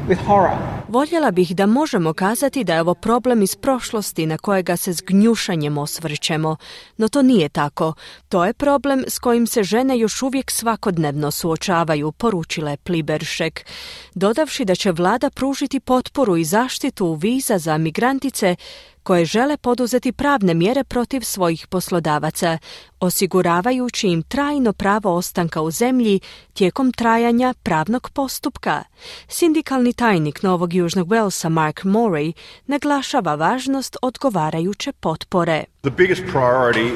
with horror. Voljela bih da možemo kazati da je ovo problem iz prošlosti na kojega se s gnjušanjem osvrćemo, no to nije tako. To je problem s kojim se žene još uvijek svakodnevno suočavaju, poručila je Pliberšek, dodavši da će vlada pružiti potporu i zaštitu viza za migrantice koje žele poduzeti pravne mjere protiv svojih poslodavaca, osiguravajući im trajno pravo ostanka u zemlji tijekom trajanja pravnog postupka. Sindikalni tajnik Novog Južnog Walesa Mark Murray naglašava važnost odgovarajuće potpore. The biggest priority,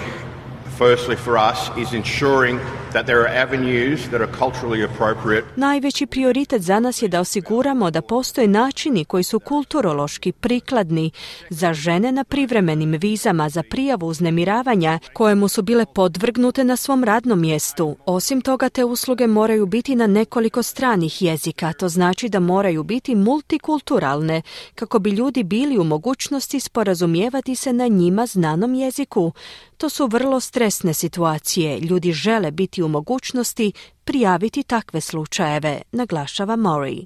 firstly for us, is ensuring that there are avenues that are culturally appropriate. Najveći prioritet za nas je da osiguramo da postoje načini koji su kulturološki prikladni za žene na privremenim vizama za prijavu uznemiravanja kojemu su bile podvrgnute na svom radnom mjestu. Osim toga, te usluge moraju biti na nekoliko stranih jezika, to znači da moraju biti multikulturalne kako bi ljudi bili u mogućnosti sporazumijevati se na njima znanom jeziku. To su vrlo stresne situacije. Ljudi žele biti u mogućnosti prijaviti takve slučajeve, naglašava Murray.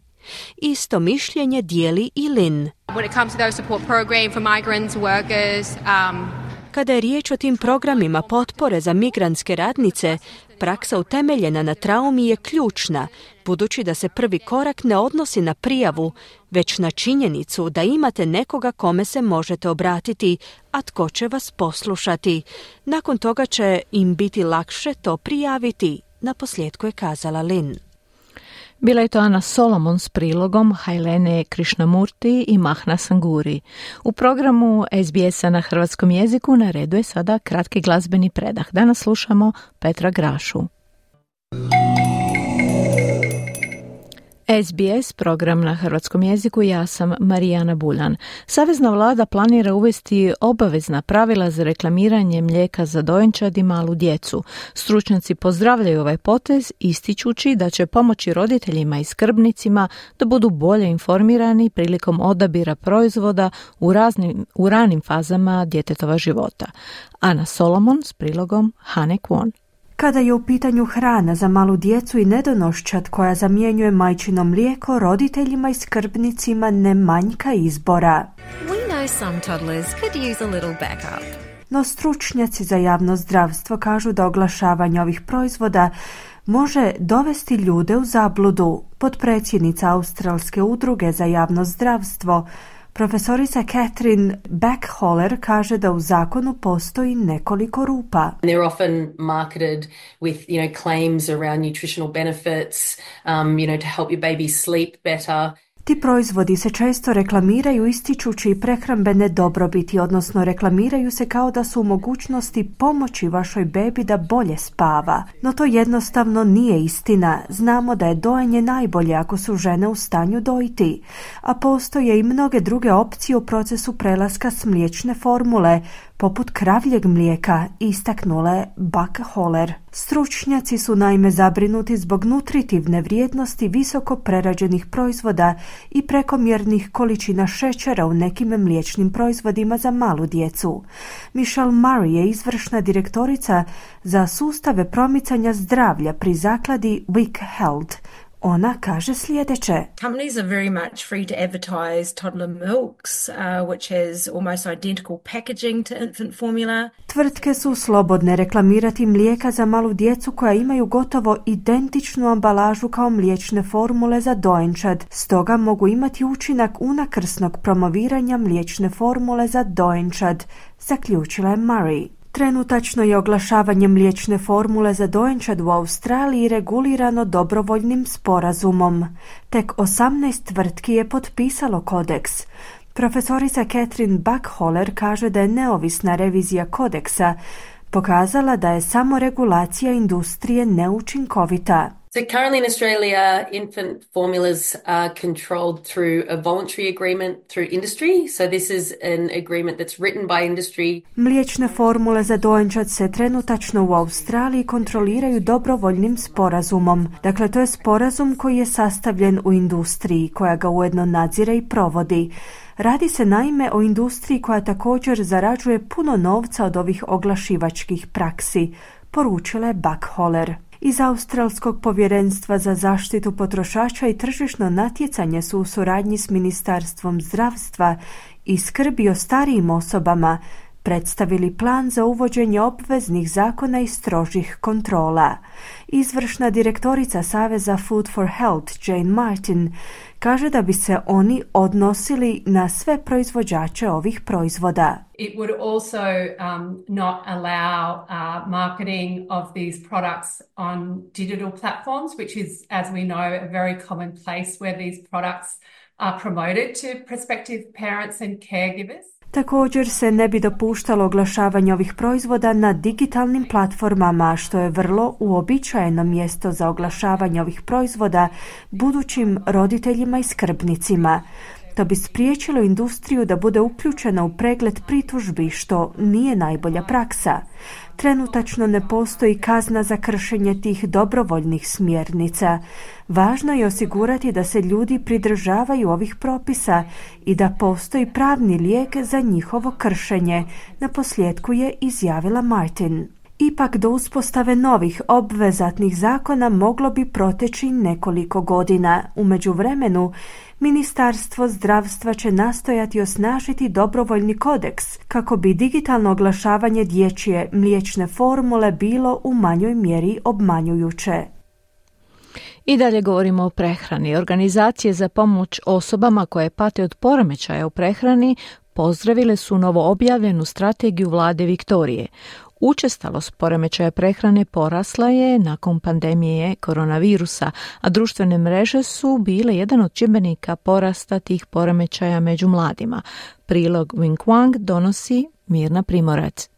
Isto mišljenje dijeli i Lynn. When it comes to those support program for migrants, workers, um... Kada je riječ o tim programima potpore za migrantske radnice, praksa utemeljena na traumi je ključna, budući da se prvi korak ne odnosi na prijavu, već na činjenicu da imate nekoga kome se možete obratiti, a tko će vas poslušati. Nakon toga će im biti lakše to prijaviti, naposljetku je kazala Lynn. Bila je to Ana Solomon s prilogom Hailene Krishnamurti i Mahna Sanguri. U programu S B S-a na hrvatskom jeziku na redu je sada kratki glazbeni predah. Danas slušamo Petra Grašu. S B S, program na hrvatskom jeziku, ja sam Marijana Buljan. Savezna vlada planira uvesti obavezna pravila za reklamiranje mlijeka za dojenčad i malu djecu. Stručnjaci pozdravljaju ovaj potez, ističući da će pomoći roditeljima i skrbnicima da budu bolje informirani prilikom odabira proizvoda u, raznim, u ranim fazama djetetova života. Ana Solomon s prilogom Hane Kwon. Kada je u pitanju hrana za malu djecu i nedonoščad koja zamjenjuje majčino mlijeko, roditeljima i skrbnicima ne manjka izbora. We know some toddlers could use a little backup. No stručnjaci za javno zdravstvo kažu da oglašavanje ovih proizvoda može dovesti ljude u zabludu. Potpredsjednica Australske udruge za javno zdravstvo, profesorica Catherine Backholler, kaže da u zakonu postoji nekoliko rupa. They're often marketed with, you know, claims around nutritional benefits, um, you know, to help your baby sleep better. Ti proizvodi se često reklamiraju ističući prehrambene dobrobiti, odnosno reklamiraju se kao da su u mogućnosti pomoći vašoj bebi da bolje spava. No to jednostavno nije istina. Znamo da je dojenje najbolje ako su žene u stanju dojiti, a postoje i mnoge druge opcije u procesu prelaska s mliječne formule, poput kravljeg mlijeka, istaknule Backholler. Stručnjaci su naime zabrinuti zbog nutritivne vrijednosti visoko prerađenih proizvoda i prekomjernih količina šećera u nekim mliječnim proizvodima za malu djecu. Michelle Murray je izvršna direktorica za sustave promicanja zdravlja pri zakladi Wick Health. Ona kaže sljedeće. Companies are very much free to advertise toddler milks, uh, which has almost identical packaging to infant formula. Tvrtke su slobodne reklamirati mlijeka za malu djecu koja imaju gotovo identičnu ambalažu kao mliječne formule za dojenčad. Stoga mogu imati učinak unakrsnog promoviranja mliječne formule za dojenčad, zaključila je Murray. Trenutačno je oglašavanje mliječne formule za dojenčad u Australiji regulirano dobrovoljnim sporazumom. Tek osamnaest tvrtki je potpisalo kodeks. Profesorica Catherine Backholler kaže da je neovisna revizija kodeksa pokazala da je samo regulacija industrije neučinkovita. So currently in Australia, infant formulas are controlled through a voluntary agreement through industry. So this is an agreement that's written by industry. Mliječne formule za dojenčad se trenutačno u Australiji kontroliraju dobrovoljnim sporazumom. Dakle, to je sporazum koji je sastavljen u industriji, koja ga ujedno nadzire i provodi. Radi se naime o industriji koja također zarađuje puno novca od ovih oglašivačkih praksi, poručila je Backholler. Iz Australskog povjerenstva za zaštitu potrošača i tržišno natjecanje su u suradnji s Ministarstvom zdravstva i skrbi o starijim osobama predstavili plan za uvođenje obveznih zakona i strožih kontrola. Izvršna direktorica Saveza Food for Health, Jane Martin, kaže da bi se oni odnosili na sve proizvođače ovih proizvoda. It would also um, not allow uh, marketing of these products on digital platforms, which is, as we know, a very common place where these products are promoted to prospective parents and caregivers. Također se ne bi dopuštalo oglašavanje ovih proizvoda na digitalnim platformama, što je vrlo uobičajeno mjesto za oglašavanje ovih proizvoda budućim roditeljima i skrbnicima. To bi spriječilo industriju da bude uključena u pregled pritužbi, što nije najbolja praksa. Trenutačno ne postoji kazna za kršenje tih dobrovoljnih smjernica. Važno je osigurati da se ljudi pridržavaju ovih propisa i da postoji pravni lijek za njihovo kršenje, naposljetku je izjavila Martin. Ipak do uspostave novih obvezatnih zakona moglo bi proteći nekoliko godina. U međuvremenu, Ministarstvo zdravstva će nastojati osnažiti dobrovoljni kodeks kako bi digitalno oglašavanje dječje mliječne formule bilo u manjoj mjeri obmanjujuće. I dalje govorimo o prehrani. Organizacije za pomoć osobama koje pate od poremećaja u prehrani pozdravile su novo objavljenu strategiju vlade Viktorije. Učestalost poremećaja prehrane porasla je nakon pandemije koronavirusa, a društvene mreže su bile jedan od čimbenika porasta tih poremećaja među mladima. Prilog Wing Wang donosi Mirna Primorac.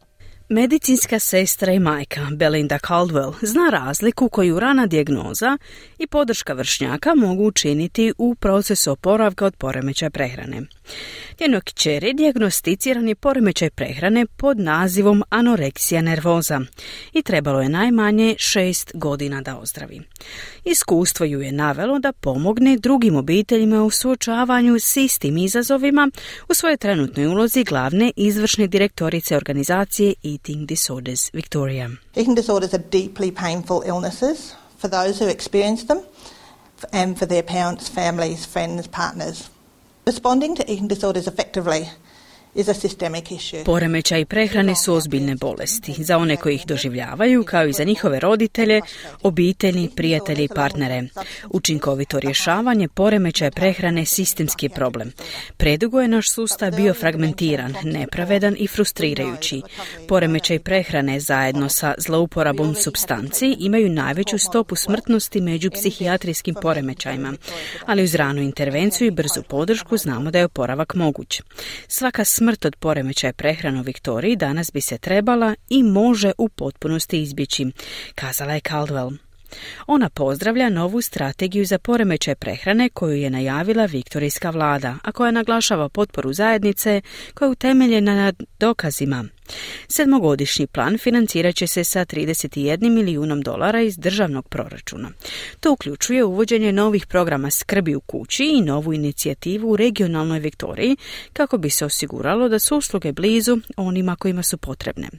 Medicinska sestra i majka Belinda Caldwell zna razliku koju rana dijagnoza i podrška vršnjaka mogu učiniti u procesu oporavka od poremećaja prehrane. Njenoj kćeri dijagnosticiran je poremećaj prehrane pod nazivom anoreksija nervoza i trebalo je najmanje šest godina da ozdravi. Iskustvo ju je navelo da pomogne drugim obiteljima u suočavanju s istim izazovima u svojoj trenutnoj ulozi glavne izvršne direktorice organizacije Eating Disorders Victoria. Eating disorders are deeply painful illnesses for those who experience them and for their parents, families, friends, partners. Responding to eating disorders effectively is a systemic issue. Poremećaji prehrane su ozbiljne bolesti za one koji ih doživljavaju, kao i za njihove roditelje, obitelji, prijatelje i partnere. Učinkovito rješavanje poremećaja prehrane sistemski je problem. Predugo je naš sustav bio fragmentiran, nepravedan i frustrirajući. Poremećaj prehrane zajedno sa zlouporabom supstanci imaju najveću stopu smrtnosti među psihijatrijskim poremećajima, ali uz ranu intervenciju i brzu podršku znamo da je oporavak moguć. Svaka smrt od poremećaja prehrane u Viktoriji danas bi se trebala i može u potpunosti izbjeći, kazala je Caldwell. Ona pozdravlja novu strategiju za poremećaj prehrane koju je najavila viktorijska vlada, a koja naglašava potporu zajednice koja je utemeljena na dokazima. Sedmogodišnji plan financirat će se sa trideset jedan milijunom dolara iz državnog proračuna. To uključuje uvođenje novih programa skrbi u kući i novu inicijativu u regionalnoj Viktoriji kako bi se osiguralo da su usluge blizu onima kojima su potrebne.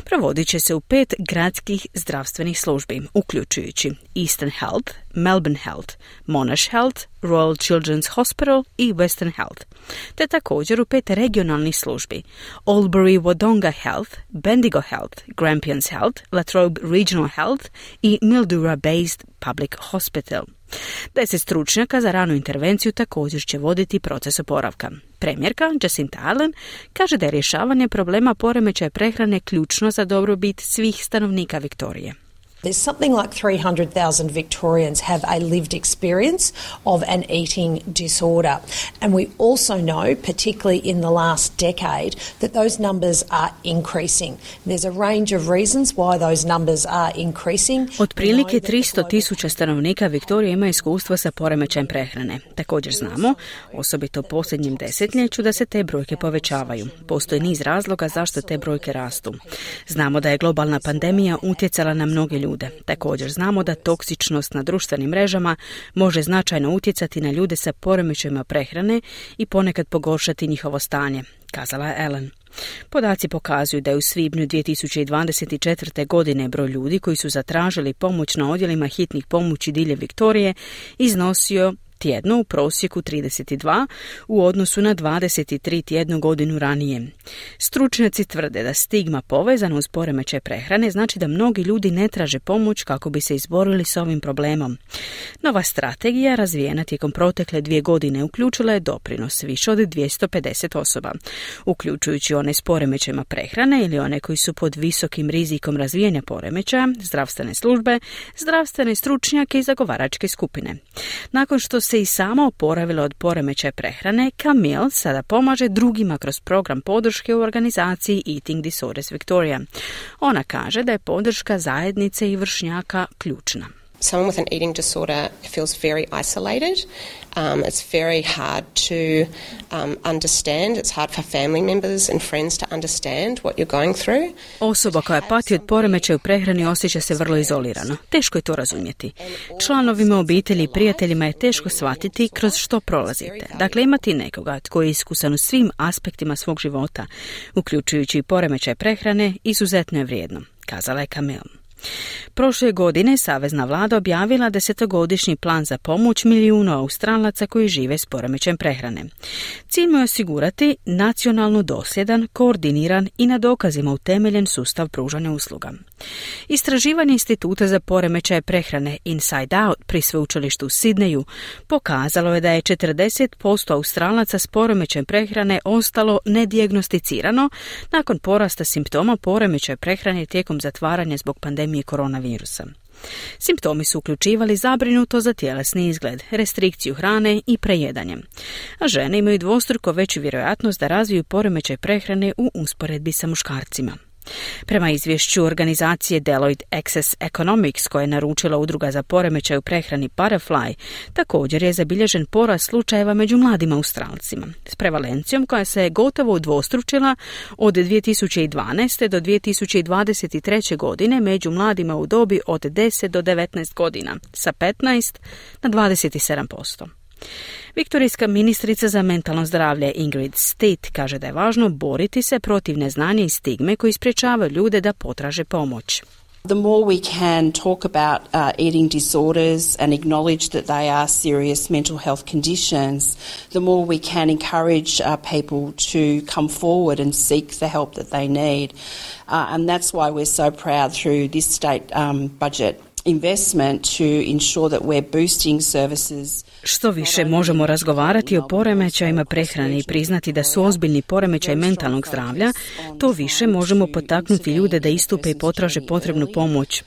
Provodit će se u pet gradskih zdravstvenih službi, uključujući Eastern Health, Melbourne Health, Monash Health, Royal Children's Hospital i Western Health, te također u pet regionalnih službi, Albury-Wodonga Health, Bendigo Health, Grampians Health, Latrobe Regional Health i Mildura-based Public Hospital. Deset stručnjaka za ranu intervenciju također će voditi proces oporavka. Premijerka Jacinta Ardern kaže da je rješavanje problema poremećaja prehrane ključno za dobrobit svih stanovnika Viktorije. There's something like three hundred thousand Victorians have a lived experience of an eating disorder. And we also know, particularly in the last decade, that those numbers are increasing. There's a range of reasons why those numbers are increasing. Otprilike tristo tisuća stanovnika Viktorije ima iskustva sa poremećajem prehrane. Također znamo, osobito u posljednjem desetljeću, da se te brojke povećavaju. Postoji niz razloga zašto te brojke rastu. Znamo da je globalna pandemija utjecala na mnoge ljude. Također znamo da toksičnost na društvenim mrežama može značajno utjecati na ljude sa poremećajima prehrane i ponekad pogoršati njihovo stanje, kazala je Ellen. Podaci pokazuju da je u svibnju dvije tisuće dvadeset četvrte. godine broj ljudi koji su zatražili pomoć na odjelima hitnih pomoći diljem Viktorije iznosio tjedno u prosjeku trideset dva u odnosu na dvadeset tri tjednu godinu ranije. Stručnjaci tvrde da stigma povezana uz poremećaj prehrane znači da mnogi ljudi ne traže pomoć kako bi se izborili s ovim problemom. Nova strategija razvijena tijekom protekle dvije godine uključila je doprinos više od dvjesto pedeset osoba, uključujući one s poremećajima prehrane ili one koji su pod visokim rizikom razvijanja poremećaja, zdravstvene službe, zdravstvene stručnjake i zagovaračke skupine. Nakon što se i sama oporavila od poremećaja prehrane, Camille sada pomaže drugima kroz program podrške u organizaciji Eating Disorders Victoria. Ona kaže da je podrška zajednice i vršnjaka ključna. Someone with an eating disorder feels very isolated. Um, it's very hard to um, understand. It's hard for family members and friends to understand what you're going through. Osoba koja pati od poremećaja u prehrani osjeća se vrlo izolirano. Teško je to razumjeti. Članovima obitelji i prijateljima je teško shvatiti kroz što prolazite. Dakle, imati nekoga tko je iskusan u svim aspektima svog života, uključujući i poremećaj prehrane, izuzetno je vrijedno, kazala je Camille. Prošle godine savezna vlada objavila desetogodišnji plan za pomoć milijunu Australaca koji žive s poremećajem prehrane. Cilj mu je osigurati nacionalno dosljedan, koordiniran i na dokazima utemeljen sustav pružanja usluga. Istraživanje Instituta za poremećaje prehrane Inside Out pri sveučilištu u Sidneju pokazalo je da je četrdeset posto Australaca s poremećajem prehrane ostalo nedijagnosticirano nakon porasta simptoma poremećaja prehrane tijekom zatvaranja zbog pandemije koronavirusa. Simptomi su uključivali zabrinuto za tjelesni izgled, restrikciju hrane i prejedanje. A žene imaju dvostruko veću vjerojatnost da razviju poremećaj prehrane u usporedbi sa muškarcima. Prema izvješću organizacije Deloitte Access Economics, koja je naručila udruga za poremećaj u prehrani Butterfly, također je zabilježen porast slučajeva među mladim Australcima, s prevalencijom koja se je gotovo udvostručila od dvije tisuće dvanaeste do dvije tisuće dvadeset treće. godine među mladima u dobi od deset do devetnaest godina, sa petnaest na dvadeset sedam posto. Viktorijska ministrica za mentalno zdravlje Ingrid State kaže da je važno boriti se protiv neznanja i stigme koji sprječavaju ljude da potraže pomoć. The more we can talk about uh, eating disorders and acknowledge that they are serious mental health conditions, the more we can encourage uh, people to come forward and seek the help that they need. Uh, and that's why we're so proud through this state um, budget investment to ensure that we're boosting services. Što više možemo razgovarati o poremećajima prehrane i priznati da su ozbiljni poremećaj mentalnog zdravlja, to više možemo potaknuti ljude da istupe i potraže potrebnu pomoć.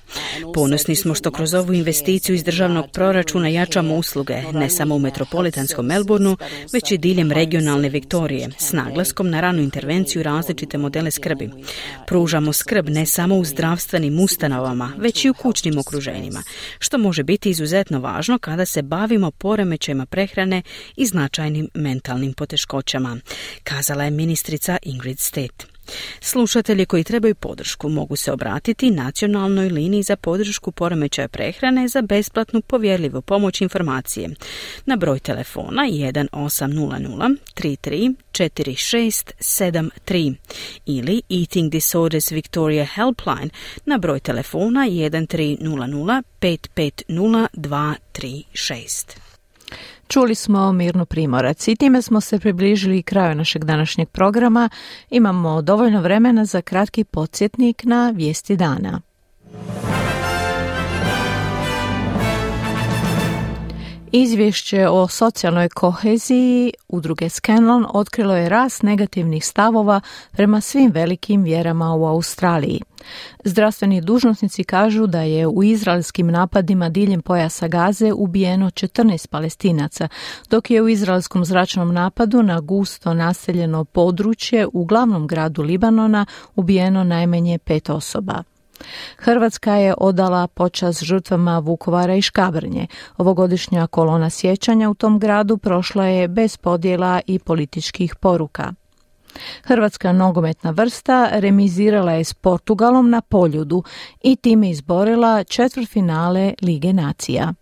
Ponosni smo što kroz ovu investiciju iz državnog proračuna jačamo usluge, ne samo u metropolitanskom Melbourneu, već i diljem regionalne Viktorije, s naglaskom na ranu intervenciju i različite modele skrbi. Pružamo skrb ne samo u zdravstvenim ustanovama, već i u kućnim okruženjima, što može biti izuzetno važno kada se bavimo poremećajima prehrane i značajnim mentalnim poteškoćama, kazala je ministrica Ingrid State. Slušatelji koji trebaju podršku mogu se obratiti nacionalnoj liniji za podršku poremećaja prehrane za besplatnu povjerljivu pomoć informacije na broj telefona jedan osam nula nula tri tri četiri šest sedam tri ili Eating Disorders Victoria Helpline na broj telefona jedan tri nula nula pet pet nula dva tri šest. Čuli smo Mirnu Primorac i time smo se približili kraju našeg današnjeg programa. Imamo dovoljno vremena za kratki podsjetnik na vijesti dana. Izvješće o socijalnoj koheziji udruge Scanlon otkrilo je rast negativnih stavova prema svim velikim vjerama u Australiji. Zdravstveni dužnosnici kažu da je u izraelskim napadima diljem pojasa Gaze ubijeno četrnaest Palestinaca, dok je u izraelskom zračnom napadu na gusto naseljeno područje u glavnom gradu Libanona ubijeno najmanje pet osoba. Hrvatska je odala počast žrtvama Vukovara i Škabrnje. Ovogodišnja kolona sjećanja u tom gradu prošla je bez podjela i političkih poruka. Hrvatska nogometna vrsta remizirala je s Portugalom na Poljudu i time izborila četvrtfinale Lige nacija.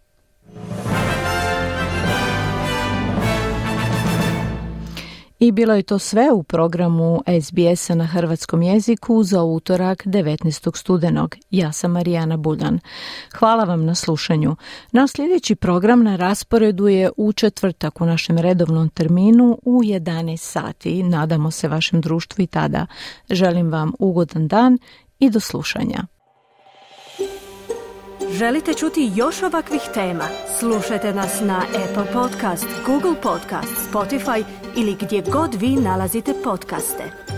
I bilo je to sve u programu S B S-a na hrvatskom jeziku za utorak devetnaestog studenog. Ja sam Marijana Buljan. Hvala vam na slušanju. Naš sljedeći program na rasporedu je u četvrtak u našem redovnom terminu u jedanaest sati. Nadamo se vašem društvu i tada. Želim vam ugodan dan i do slušanja. Želite čuti još ovakvih tema? Slušajte nas na Apple Podcast, Google Podcast, Spotify ili gdje god vi nalazite podcaste.